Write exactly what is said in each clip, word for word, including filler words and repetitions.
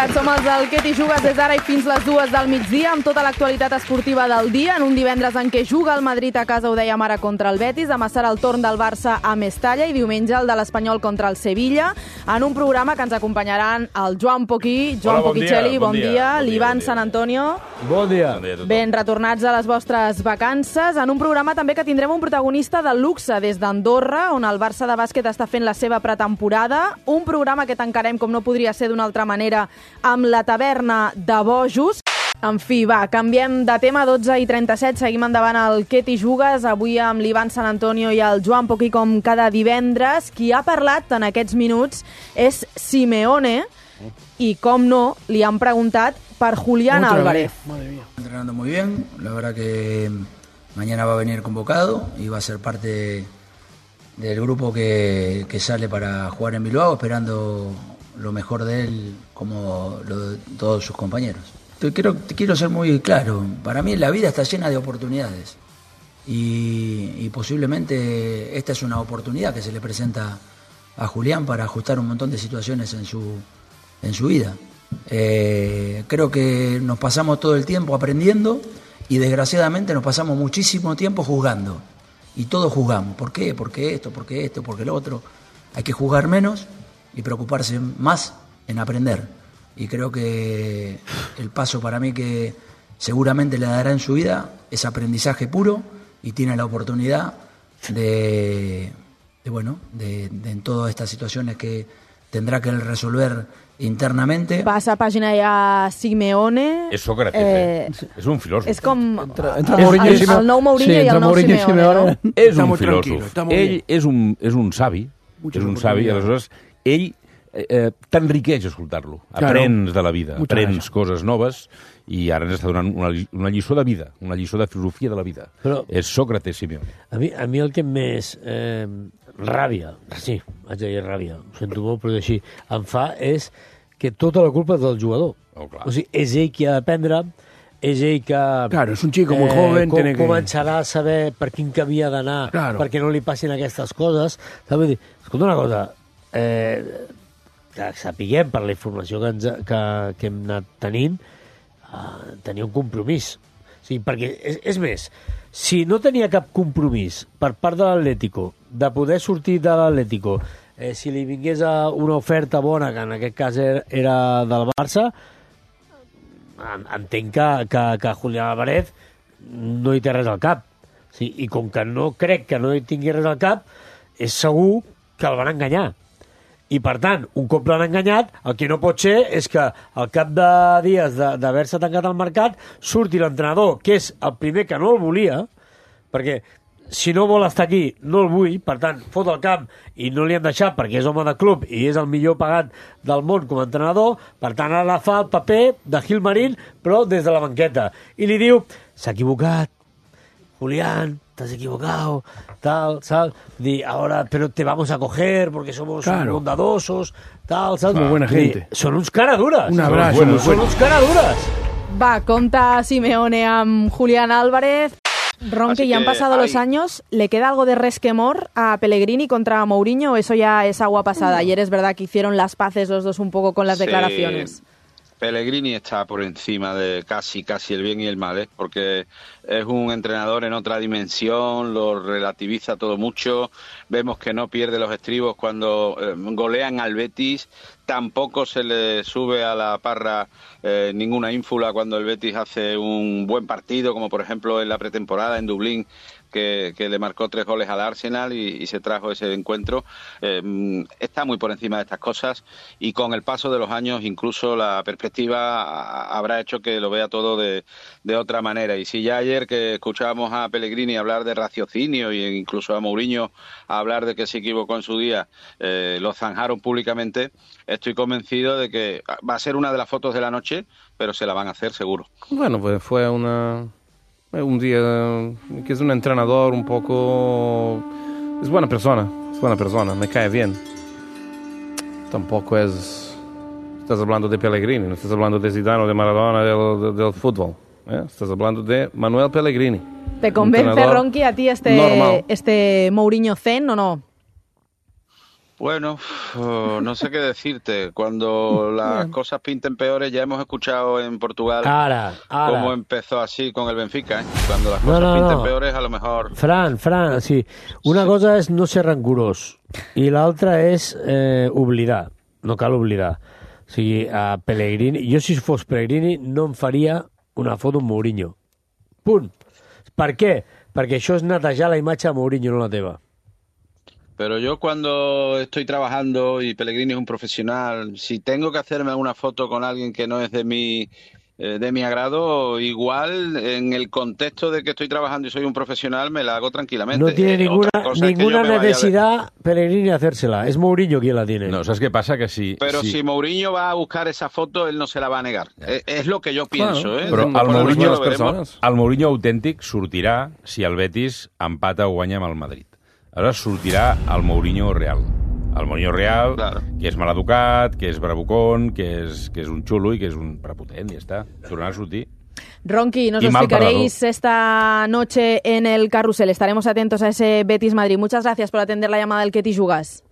veritat, som els del Què t'hi jugues des d'ara i fins les dues del migdia, amb tota l'actualitat esportiva del dia, en un divendres en què juga el Madrid a casa, ho dèiem ara, contra el Betis, demà serà el torn del Barça a Mestalla i diumenge el de l'Espanyol contra el Sevilla, en un programa que ens acompanyaran el Joan Poquí, Joan Hola, bon Poquicelli, dia, bon, bon dia, dia, bon l'Ivan dia, Sant Antonio. Bon dia. Bon dia a tothom. Ben retornats a les vostres vacances, en un programa també que tindrem un protagonista de luxe des d'Andorra, on el Barça de bàsquet està fent la seva pretemporada, un programa que tancarem, com no podria ser d'una altra manera, amb la taverna de bojos. En fi, va, canviem de tema, dotze i trenta-set, seguim endavant al Què t'hi jugues, avui amb l'Ivan Sant Antonio i el Joan Poquí com cada divendres. Qui ha parlat en aquests minuts és Simeone i, com no, li han preguntat per Julián Otra Álvarez. vez. Madre mía. Entrenando muy bien, la verdad que mañana va a venir convocado y va a ser parte del grupo que, que sale para jugar en Bilbao, esperando lo mejor de él como lo de todos sus compañeros. Te quiero, te quiero ser muy claro, para mí la vida está llena de oportunidades y, y posiblemente esta es una oportunidad que se le presenta a Julián para ajustar un montón de situaciones en su, en su vida. Eh, creo que nos pasamos todo el tiempo aprendiendo y desgraciadamente nos pasamos muchísimo tiempo juzgando y todos juzgamos. ¿Por qué? ¿Por qué esto? ¿Por qué esto? ¿Por qué lo otro? Hay que juzgar menos y preocuparse más en aprender. Y creo que el paso para mí que seguramente le dará en su vida es aprendizaje puro y tiene la oportunidad de, de bueno, de, de en todas estas situaciones que tendrá que él resolver internamente. Passa pàgina ja Simeone. És Sócrates, eh? eh? És un filòsof. És com Entre, entre el, Mourinho i el, Simeone. el nou Mourinho sí, i el nou Mourinho Simeone. Simeone. No? És Está un muy tranquilo, filòsof. está muy Ell bien. és un, és un savi, Mucha és un savi, i oportunidad. aleshores ell eh, eh, t'enriqueix escoltar-lo. Claro. Aprens de la vida, Mucha aprens gràcia. coses noves i ara ens està donant una, lli- una lliçó de vida, una lliçó de filosofia de la vida. Però- És Sócrates Simeone. A mi, a mi el que més eh, ràbia, sí, haig de dir ràbia, ho sento molt, però és així, em fa és que tota la culpa és del jugador. Oh, clar. O sigui, és ell qui ha d'aprendre, és ell que... Claro, es un chico muy joven, com, tiene que- començarà a saber per quin camí ha d'anar, Claro. perquè no li passin aquestes coses. Saps? Vull dir, escolta una cosa, eh, que sapiguem per la informació que, ens, que, que hem anat tenint, eh, tenia un compromís. O sigui, perquè, és, és més, si no tenia cap compromís per part de l'Atlético de poder sortir de l'Atlético, eh, si li vingués a una oferta bona, que en aquest cas era, era del Barça, en- entenc que, que, que Julián Álvarez no hi té res al cap. Sí, i com que no crec que no hi tingui res al cap, és segur que el van enganyar. I, per tant, un cop l'han enganyat, el que no pot ser és que al cap de dies de- d'haver-se tancat el mercat surti l'entrenador, que és el primer que no el volia, perquè si no vol estar aquí, no el vull, per tant, fot el camp i no li han deixat perquè és home de club i és el millor pagat del món com a entrenador, per tant, ara fa el paper de Gilmarín, però des de la banqueta. I li diu, s'ha equivocat, Julián, te has equivocado, tal, ¿sabes? Di, ahora, pero te vamos a coger porque somos Claro. bondadosos, tal, ¿sabes? Muy buena Di, gente. Són uns caradures. Un abrazo, Són, muy són fuerte. uns caradures. Va, conta Simeone amb Julián Álvarez. Ron, Así que ya han que pasado los hay- años, ¿le queda algo de resquemor a Pellegrini contra Mourinho o eso ya es agua pasada? Ayer es verdad que hicieron las paces los dos un poco con las Sí. declaraciones. Pellegrini está por encima de casi casi el bien y el mal, ¿eh? Porque es un entrenador en otra dimensión, lo relativiza todo mucho, vemos que no pierde los estribos cuando eh, golean al Betis, tampoco se le sube a la parra eh, ninguna ínfula cuando el Betis hace un buen partido, como por ejemplo en la pretemporada en Dublín, que, que le marcó tres goles al Arsenal y, y se trajo ese encuentro. Eh, está muy por encima de estas cosas y con el paso de los años incluso la perspectiva a- habrá hecho que lo vea todo de, de otra manera. Y si ya ayer que escuchábamos a Pellegrini hablar de raciocinio e incluso a Mourinho hablar de que se equivocó en su día, eh, lo zanjaron públicamente, estoy convencido de que va a ser una de las fotos de la noche, pero se la van a hacer seguro. Bueno, pues fue una, un día que es un entrenador un poco... Es buena persona, es buena persona, me cae bien. Tampoco es... Estás hablando de Pellegrini, no estás hablando de Zidane o de Maradona del, del, del fútbol. ¿eh? Estás hablando de Manuel Pellegrini. ¿Te convence, Entrenador Ronqui, a ti este, normal. este Mourinho Zen o no? Bueno, oh, no sé qué decirte. Cuando las cosas pinten peores, ya hemos escuchado en Portugal Ara, ara. cómo empezó así con el Benfica. ¿eh? Cuando las No, cosas no, pinten no. peores, a lo mejor... Fran, Fran, sí. Una cosa és no ser rancorós i l'altra és eh, oblidar. No cal oblidar. O sigui, a Pellegrini... Jo, si fos Pellegrini, no em faria una foto amb Mourinho. Punt. Per què? Perquè això és netejar la imatge de Mourinho, no la teva. Pero yo cuando estoy trabajando y Pellegrini es un profesional, si tengo que hacerme alguna foto con alguien que no es de mi eh, de mi agrado, igual en el contexto de que estoy trabajando y soy un profesional me la hago tranquilamente. No tiene Eh, ninguna, otra cosa es que ninguna yo me vaya de- necesidad Pellegrini de hacérsela. Es Mourinho quien la tiene. No, ¿sabes qué pasa? Que si... Pero si... si Mourinho va a buscar esa foto, él no se la va a negar. Es, es lo que yo pienso, Claro, ¿eh? Però el Después Mourinho, después lo les veremos. persones. el Mourinho autèntic sortirà si el Betis empata o guanya amb el Madrid. Aleshores sortirà el Mourinho real. El Mourinho real, Claro. que és maleducat, que és bravucón, que és, que és un xulo i que és un prepotent, i ja està. Tornarà a sortir. Ronqui, nos Y lo mal explicaréis esta noche en el carrusel. Estaremos atentos a ese Betis Madrid. Muchas gracias por atender la llamada del que t'hi jugas.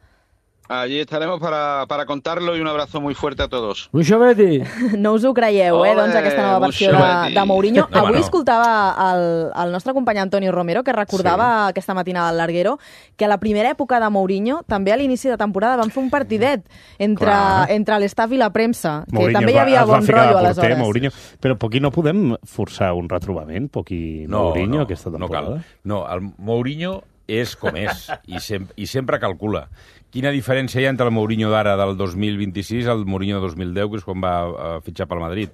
Allí estaremos para, para contarlo y un abrazo muy fuerte a todos. Mucho Betis. No us ho creieu, eh, Ole, doncs, aquesta nova versió de, Busquets. de Mourinho. No, Avui no. escoltava el, el nostre company Antonio Romero, que recordava sí. aquesta matinada al Larguero, que a la primera època de Mourinho, també a l'inici de temporada, van fer un partidet entre, entre l'estaf i la premsa, que Mourinho també hi es va- havia es va bon ficar de rotllo porter, aleshores. Mourinho. Però per aquí no podem forçar un retrobament, per aquí Mourinho, aquesta no temporada? cal. No, el Mourinho és com és i, sem i sempre calcula. Quina diferència hi ha entre el Mourinho d'ara del dos mil vint-i-sis al Mourinho de dos mil deu, que és quan va uh, fitxar pel Madrid?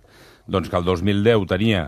Doncs que el dos mil deu tenia,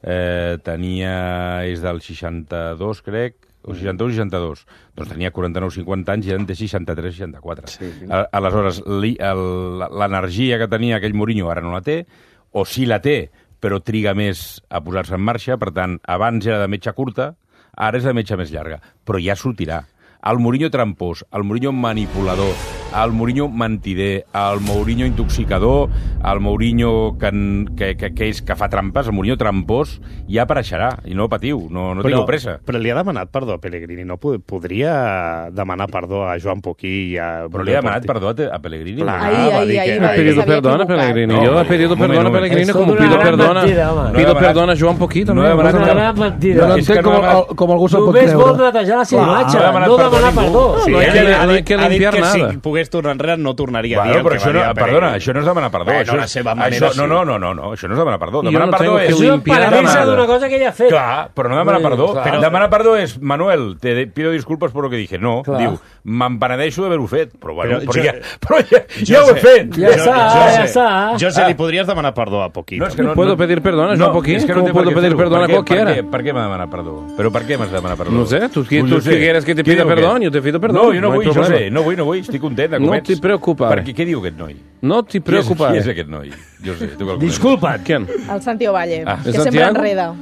eh, tenia és del seixanta-dos, crec, o seixanta-u o seixanta-dos. Doncs tenia quaranta-nou cinquanta anys i ara en té seixanta-tres seixanta-quatre. Sí. Aleshores, li- el- l'energia que tenia aquell Mourinho ara no la té, o sí la té, però triga més a posar-se en marxa. Per tant, abans era de metxa curta, ara és de metxa més llarga, però ja sortirà. El Mourinho trampós, el Mourinho manipulador, el Mourinho mentider, el Mourinho intoxicador, el Mourinho que, que, que, que, és, que fa trampes, el Mourinho trampós ja apareixerà, i no patiu, no, no tingueu pressa. Però li ha demanat perdó a Pellegrini, no Pod- podria demanar perdó a Joan Poquí i a... Però li ha demanat perdó a, a Pellegrini. Clar. Ahí, va ahí, dir ahí, que- va Ha dir que pedido s'havia perdón a equivocat. Pellegrini. No, Yo he pedido un perdón a moment, un moment. Pellegrini Es como una pido gran perdón a, mentida, home. No he pido demanat- perdón a Joan Poquito. no he también. demanat Una cap- gran mentida. No És que entenc no com, ha demanat- el- com algú se'l pot Només vol creure. netejar la seva Clar, imatge, no ha demanat no perdó demanar ningú. perdó. Sí, No hay ha, que- dit- ha, no hay dit- que ha dit limpiar que nada. si pogués tornar enrere no tornaria a dir Bueno, el però que això va no, dir a perdona, Pellegrini. això no és demanar perdó. Bueno, això, la seva manera això, no, sí. no, no, no, no, això no és demanar perdó. Jo Demanar no perdó tengo és... que Això és limpiar penedir-se nada. d'una cosa que ella ha fet. Clar, però no demanar Vull dir, perdó. clar. Però... Demanar perdó és, Manuel, te de- pido disculpes por lo que dije. No, Clar. diu, me'n penedeixo d'haver-ho fet. Però, bueno, Però però, jo- ja, però ja, Jo ja ho he sé. fet. Ja està, ja sé, està. Jo sé, Ah. li podries demanar perdó a Poquito. No, és que No puedo pedir perdón a Joan Poquí. és que ¿Cómo té puedo per què pedir fer-ho. perdón a Per què- cualquiera? Per què, per què m'ha de demanar perdó? Però per què m'has de demanar perdó? No sé, tú, Pues tú yo sé. quieres que te Què pida diu perdón, aquest? yo te pido perdón. No, jo no, hay vull, jo problema. sé, no vull, no vull, estic content de No comets. t'hi preocupes. Perquè què diu aquest noi? No te Qui és, preocupes. qui és aquest noi? Jo sé, tu que el coneixes. Disculpa't. ¿Quién? El Santi Ovalle, Ah. que ¿Es sempre Santiago? enreda.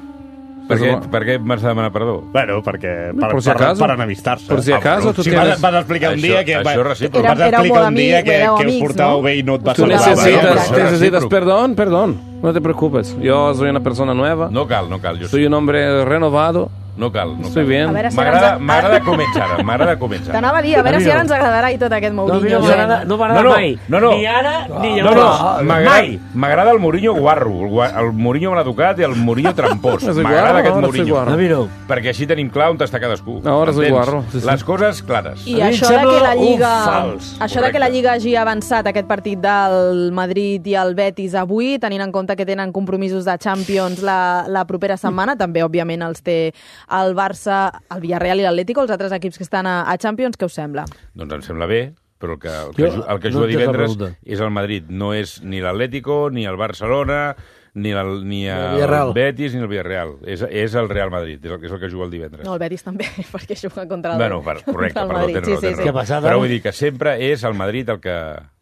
Per què, per què m'has de demanar perdó? Bueno, perquè per, Por si per, acaso. per enemistar-se. Por si Ah, acaso bueno, tú si tienes- vas, vas explicar un Això- dia que... això va- és recíproc. vas Era- era explicar molt un dia amic, que, éreu que us amics, portàveu no? bé i no et va Tú Claro, saludar. necesitas, claro. necesitas Recíproco. perdón, perdón. No te preocupes. Yo soy una persona nueva. No cal, no cal. Jo Soy sé. un hombre renovado. No cal, no Estoy cal. bien. A veure si M'agrada ara ens- m'agrada com ets ara, m'agrada com ets ara. T'anava a dir, a veure A mi si ara no. ens agradarà i tot aquest No, a mi Mourinho. no m'agrada no m'agrada No, no, mai. no, no. Ni ara, ni No, llavors. no, m'agrada Mai. m'agrada el Mourinho guarro, el, gua- el Mourinho maleducat i el Mourinho trampós. Soy M'agrada guarro, aquest ahora soy Mourinho. guarro. A mi no. Perquè així tenim clar on està cadascú. Ahora soy Entens? guarro, sí, sí. Les coses clares. I A mi em això de sembla que la un Lliga, fals. això de que la Lliga hagi avançat aquest partit del Madrid i el Betis avui, tenint en compte que tenen compromisos de Champions la, la propera setmana, també, òbviament, els té el Barça, el Villarreal i l'Atlético, els altres equips que estan a, a Champions, què us sembla? Doncs em sembla bé, però el que, el que, Jo ju- el que no juga entenc la divendres pregunta. és el Madrid. No és ni l'Atlético, ni el Barcelona, ni el, ni el Villarreal. Betis, ni el Villarreal. És, és el Real Madrid, és el, és el que juga el divendres. No, el Betis també, perquè juga contra el, Bueno, per, correcte, contra el perdó, Madrid. tens Sí, raó, sí, tens sí. raó. Què passada? Però vull dir que sempre és el Madrid el que...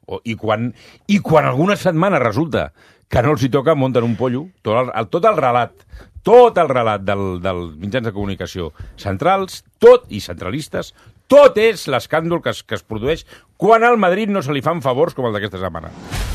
O, i, quan, I quan alguna setmana resulta que no els hi toca, munten un pollo, tot el, el, tot el relat, tot el relat del, dels mitjans de comunicació centrals, tot, i centralistes, tot és l'escàndol que es, que es produeix Quan al Madrid no se li fan favors com el d'aquesta setmana.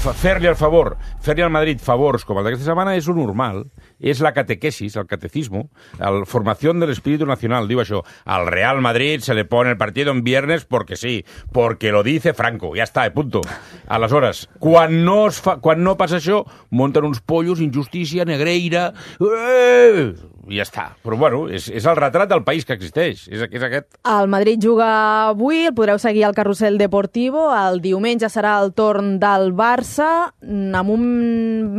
Fer-li el favor, fer-li al Madrid favors com el d'aquesta setmana és lo normal, és la catequesis, el catecismo, la formació del espíritu nacional, diu això. Al Real Madrid se le pone el partido en viernes porque sí, porque lo dice Franco, ja està, punto. Aleshores, quan no, es fa, quan no passa això, munten uns pollos, injustícia, negreira... Eh! I ja està. Però, bueno, és, és el retrat del país que existeix. És, és aquest. El Madrid juga avui, el podreu seguir al Carrusel Deportivo. El diumenge serà el torn del Barça, amb un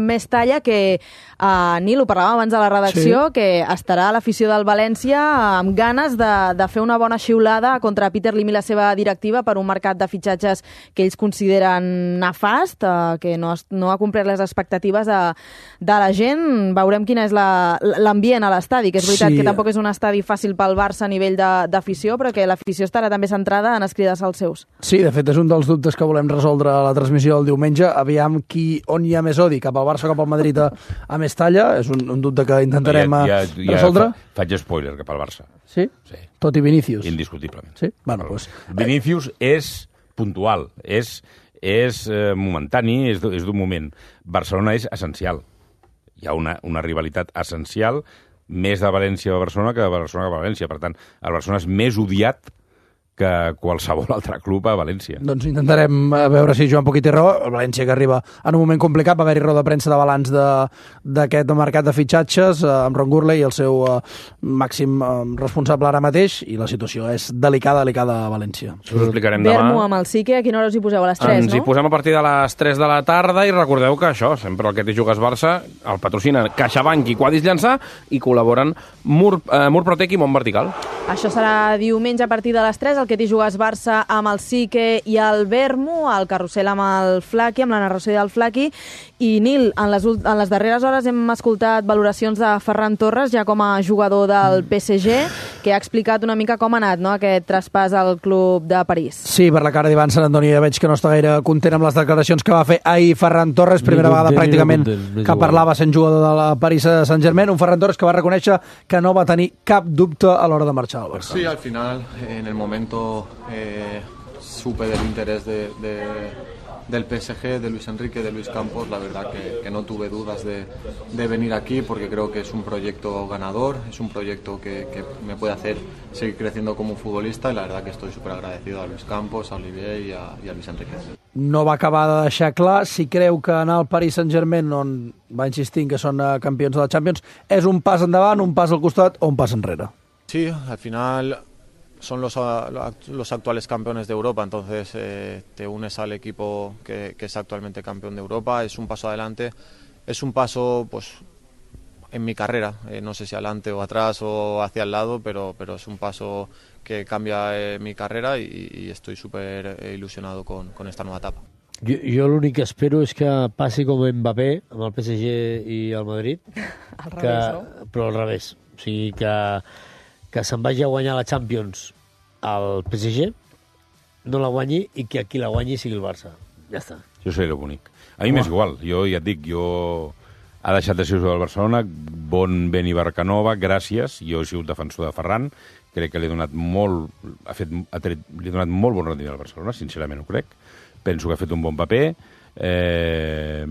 Mestalla que, uh, Nil, ho parlàvem abans de la redacció, sí. que estarà a l'afició del València amb ganes de, de fer una bona xiulada contra Peter Lim i la seva directiva per un mercat de fitxatges que ells consideren nefast, uh, que no, no ha complert les expectatives de, de la gent. Veurem quin és l'ambient a l'estadi, que és veritat sí. que tampoc és un estadi fàcil pel Barça a nivell d'afició, però que l'afició estarà també centrada en escrides als seus. Sí, de fet, és un dels dubtes que volem resoldre a la transmissió del diumenge. Aviam qui, on hi ha més odi, cap al Barça o cap al Madrid a, a Mestalla. És un, un dubte que intentarem ja, ja, ja resoldre. Fa, faig spoiler cap al Barça. Sí? Sí. Tot i Vinícius. Indiscutiblement. Sí? Bueno, pues... Vinícius és puntual, és, és eh, momentani, és, és d'un moment. Barcelona és essencial. Hi ha una, una rivalitat essencial més de València a Barcelona que de Barcelona a València. Per tant, el Barcelona és més odiat que qualsevol altre club a València. Doncs intentarem veure si Joan Poquet té raó. El València que arriba en un moment complicat, va haver-hi roda de premsa de balanç d'aquest mercat de fitxatges, eh, amb Ron Gurley i el seu eh, màxim eh, responsable ara mateix, i la situació és delicada, delicada a València. Us ho explicarem demà. Bermo amb el Sique, a quina hora us hi poseu? A les tres, Ens no? Ens hi posem a partir de les tres de la tarda i recordeu que això, sempre el que té Jugues Barça, el patrocina CaixaBank i Quadis Llançà i col·laboren Mur, eh, Murprotec i Mont Vertical. Això serà diumenge a partir de les tres, el que t'hi jugues Barça amb el Sique i el Bermo, el Carrusel amb el Flaqui, amb la narració del Flaqui. I, Nil, en les, en les darreres hores hem escoltat valoracions de Ferran Torres, ja com a jugador del P S G, que ha explicat una mica com ha anat, no?, aquest traspàs al club de París. Sí, per la cara d'Ivan Sant Antoni ja veig que no està gaire content amb les declaracions que va fer ahir Ferran Torres, primera vegada pràcticament que parlava sent jugador de la París Saint-Germain, un Ferran Torres que va reconèixer que no va tenir cap dubte a l'hora de marxar al Barça. Sí, al final, en el momento eh, supe del interés de, de, del P S G, de Luis Enrique, de Luis Campos. La verdad que, que no tuve dudas de, de venir aquí porque creo que es un proyecto ganador, es un proyecto que, que me puede hacer seguir creciendo como futbolista, y la verdad que estoy súper agradecido a Luis Campos, a Olivier y a, y a Luis Enrique. No va acabar de deixar clar si creu que anar al Paris Saint-Germain, on va insistir que són campions de la Champions, és un pas endavant, un pas al costat o un pas enrere. Sí, al final son los, los actuales campeones de Europa, entonces eh, te unes al equipo que, que es actualmente campeón de Europa, es un paso adelante, es un paso pues en mi carrera, eh, no sé si adelante o atrás o hacia el lado, pero, pero es un paso que cambia eh, mi carrera y, y estoy súper eh, ilusionado con, con esta nueva etapa. Jo, jo l'únic que espero és que passi com Mbappé amb el P S G i el Madrid, al que, revés, no? però al revés, o sigui que, que se'n vagi a guanyar la Champions al P S G, no la guanyi i que qui la guanyi sigui el Barça. Ja està. Jo seré bonic. A mi m'és igual. Jo ja et dic, jo ha deixat de ser jugador del Barcelona, bon Beni Barcanova, gràcies. Jo he sigut defensor de Ferran, crec que li he donat molt, ha fet, ha tret, li he donat molt bon rendiment al Barcelona, sincerament ho crec. Penso que ha fet un bon paper. Eh,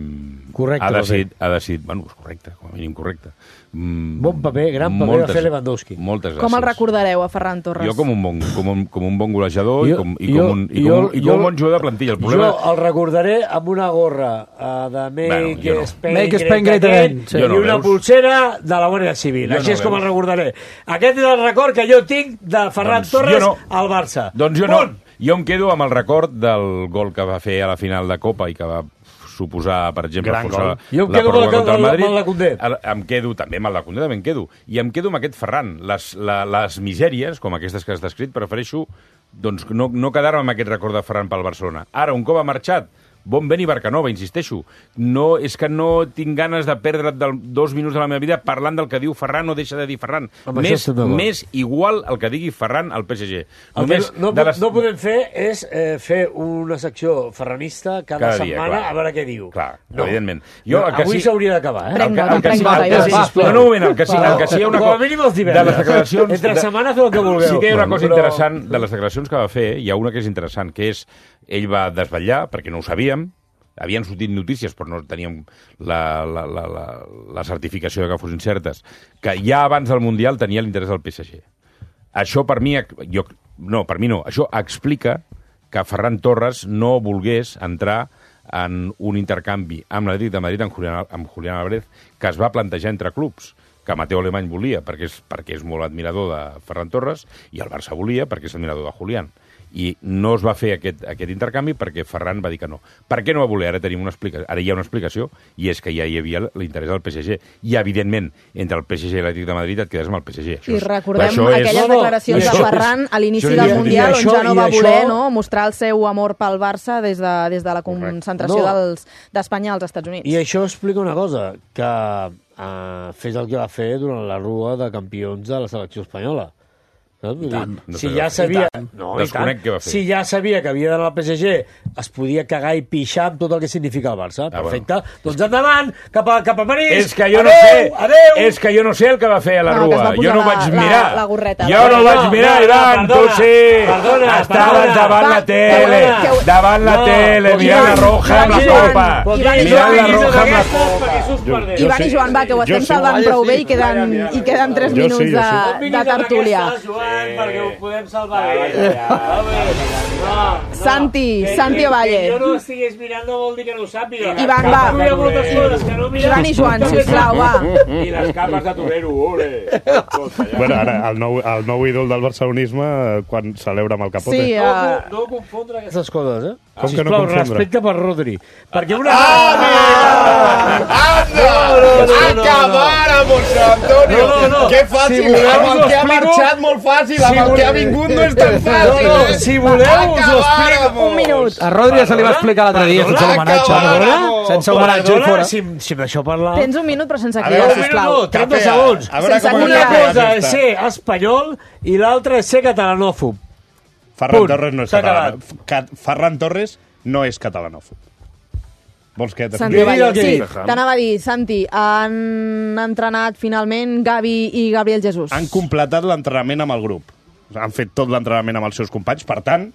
correcte. Ha decidit, ha decidit, bueno, és correcte, com a mínim correcte. Mm, bon paper, gran paper moltes, va fer Lewandowski. Moltes gràcies. Com el recordareu a Ferran Torres? Jo com un bon, com un, com un bon golejador jo, i, com, i, jo, com un, i, jo, com un, i com un bon jugador de plantilla. El problema... Jo el recordaré amb una gorra uh, de Make bueno, no. Spain, Make Spain Great Again, sí. I no una veus? Pulsera de la Guàrdia Civil. Jo Així no és veus. Com el recordaré. Aquest és el record que jo tinc de Ferran doncs Torres no. al Barça. Doncs jo Punt. no. Jo em quedo amb el record del gol que va fer a la final de Copa i que va suposar, per exemple, forçar la, jo em la quedo pròrroga contra el Madrid. Amb el de Condé. Em quedo també amb el de Condé, també em quedo. I em quedo amb aquest Ferran. Les, la, les misèries, com aquestes que has descrit, prefereixo doncs, no, no quedar-me amb aquest record de Ferran pel Barcelona. Ara, un cop ha marxat, Bon vent i Barcanova, insisteixo. No, és que no tinc ganes de perdre dos minuts de la meva vida parlant del que diu Ferran o deixa de dir Ferran. Més, més igual el que digui Ferran al P S G. Només no, no, les... no podem fer és eh, fer una secció ferranista cada, cada dia, setmana clar. A veure què diu. Clar, no. Evidentment. Jo, no, avui s'hauria d'acabar, eh? Prenc nota, prenc nota. No, no, un moment, el que sí, el que sí hi ha una cosa... De les declaracions... Entre setmana feu el que vulgueu. Sí que hi ha una cosa interessant de les declaracions que va fer, hi ha una que és interessant, que és, ell va desvetllar, perquè no ho sabíem, havien sortit notícies, però no teníem la, la, la, la, la certificació de que fossin certes, que ja abans del Mundial tenia l'interès del P S G. Això per mi, jo, no, per mi no, això explica que Ferran Torres no volgués entrar en un intercanvi amb l'Atlètic de Madrid amb Julián, amb Julián Álvarez, que es va plantejar entre clubs, que Mateu Alemany volia perquè és, perquè és molt admirador de Ferran Torres i el Barça volia perquè és admirador de Julián. I no es va fer aquest, aquest intercanvi perquè Ferran va dir que no. Per què no va voler? Ara tenim una explicació, ara hi ha una explicació, i és que ja hi havia l'interès del P S G. I, evidentment, entre el P S G i l'Atlètic de Madrid et quedes amb el P S G. Això I és, recordem aquelles és... declaracions de Ferran a l'inici del Mundial, on ja no va voler això... no, mostrar el seu amor pel Barça des de, des de la concentració no. d'Espanya als Estats Units. I això explica una cosa, que uh, fes el que va fer durant la rua de campions de la selecció espanyola. No? Tant, no si ja sabia, no, desconec què va fer. Si ja sabia que havia d'anar al P S G, es podia cagar i pixar amb tot el que significa el Barça. Ah, perfecte. Bueno. Doncs endavant, cap a, cap a París. És que jo adeu, no sé, adeu. És que jo no sé el que va fer a la no, rua. Jo no la, vaig mirar. La, la gorreta. Jo no, no vaig mirar, no, Ivan, no, tu sí. Perdona, estaves davant la tele, davant la tele, mirant la roja amb la copa. Mirant la roja amb la copa. Ivan i Joan, va, que ho estem salvant prou bé i queden tres minuts de tertúlia. Perquè ho podem salvar. Santi, Santi Ovalle. Que jo no estigués mirant no vol dir que no ho sàpiga. Ivan, va. Ivan i Joan, sisplau, va. I les capes de torero, ole. Bueno, ara, el nou, el nou ídol del barcelonisme, quan celebra amb el capote. Sí, uh... no, no confondre aquestes coses, eh? Com sisplau, que no confondre? Respecte per Rodri. Perquè una... ¡Ah, anda! ¡Acabar amb José Antonio! No, no, no. Que fàcil, amb el que ha marxat molt fàcil, amb el que ha vingut no és tan fàcil. No, no, si voleu us ho explico. Un minut. A Rodri ja se li va explicar l'altre dia, sense homenatge. Sense homenatge, fora. Si, si d'això parlar... Tens un minut, però sense cridar, sisplau. No, trenta segons. Sense una cosa és ser espanyol i l'altra és ser catalanòfob. Ferran Torres no és català. Ferran Torres no és catalanòfob. Vols que... Santi Ovalle, sí, t'anava a dir, Santi, han entrenat finalment Gavi i Gabriel Jesús. Han completat l'entrenament amb el grup. Han fet tot l'entrenament amb els seus companys, per tant,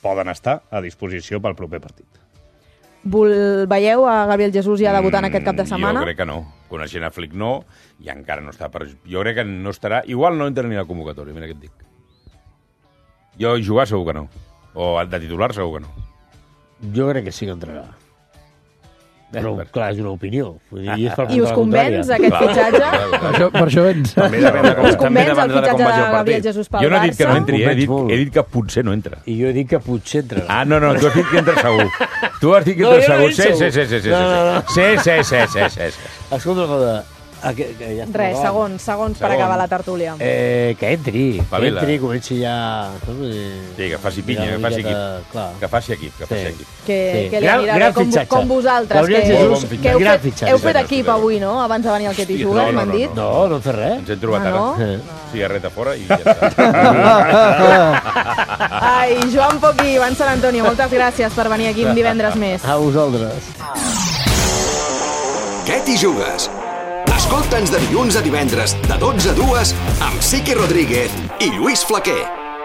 poden estar a disposició pel proper partit. Vol... Veieu a Gabriel Jesús ja debutant mm, aquest cap de setmana? Jo crec que no. Coneixent a Flick no, i encara no està per... Jo crec que no estarà... Igual no entra ni a la convocatòria, mira què et dic. Jo jugar segur que no. O de titular segur que no. Jo crec que sí que entrarà. Però, clar, és una opinió. Vull dir, és per I us convenç aquest fitxatge? Per això, per això vens. Us convenç el fitxatge de Gabriel Jesús pel Barça? Jo no he dit que no entri, he dit, he dit que potser no entra. I jo he dit que potser entrarà. Ah, no, no, tu has dit que entra segur. Tu has dit que entra no, segur. No sí, sí, sí, sí, sí, no, no, no. sí, sí, sí, sí, sí, sí. Escolta una cosa. Ah, que, que ja Res, segons, segons per acabar la tertúlia. Eh, que entri, Pavila. que entri, comenci ja... Sí, que faci pinya, que faci equip. Clar. Que faci equip, que faci equip. Que, sí. que li anirà bé, com, com vosaltres, que, Jesús, que heu, fet, heu fet equip avui, no? Abans de venir al que t'hi jugues, m'han dit. No, no hem fet res. Ens hem trobat ah, no? ara. No? Cigarreta fora i ja està. Ai, Joan Poch i Ivan Sant Antonio, moltes gràcies per venir aquí un divendres més. A vosaltres. Què t'hi jugues? Escolta'ns de dilluns a divendres, de dotze a dues, amb Sique Rodríguez i Lluís Flaquer.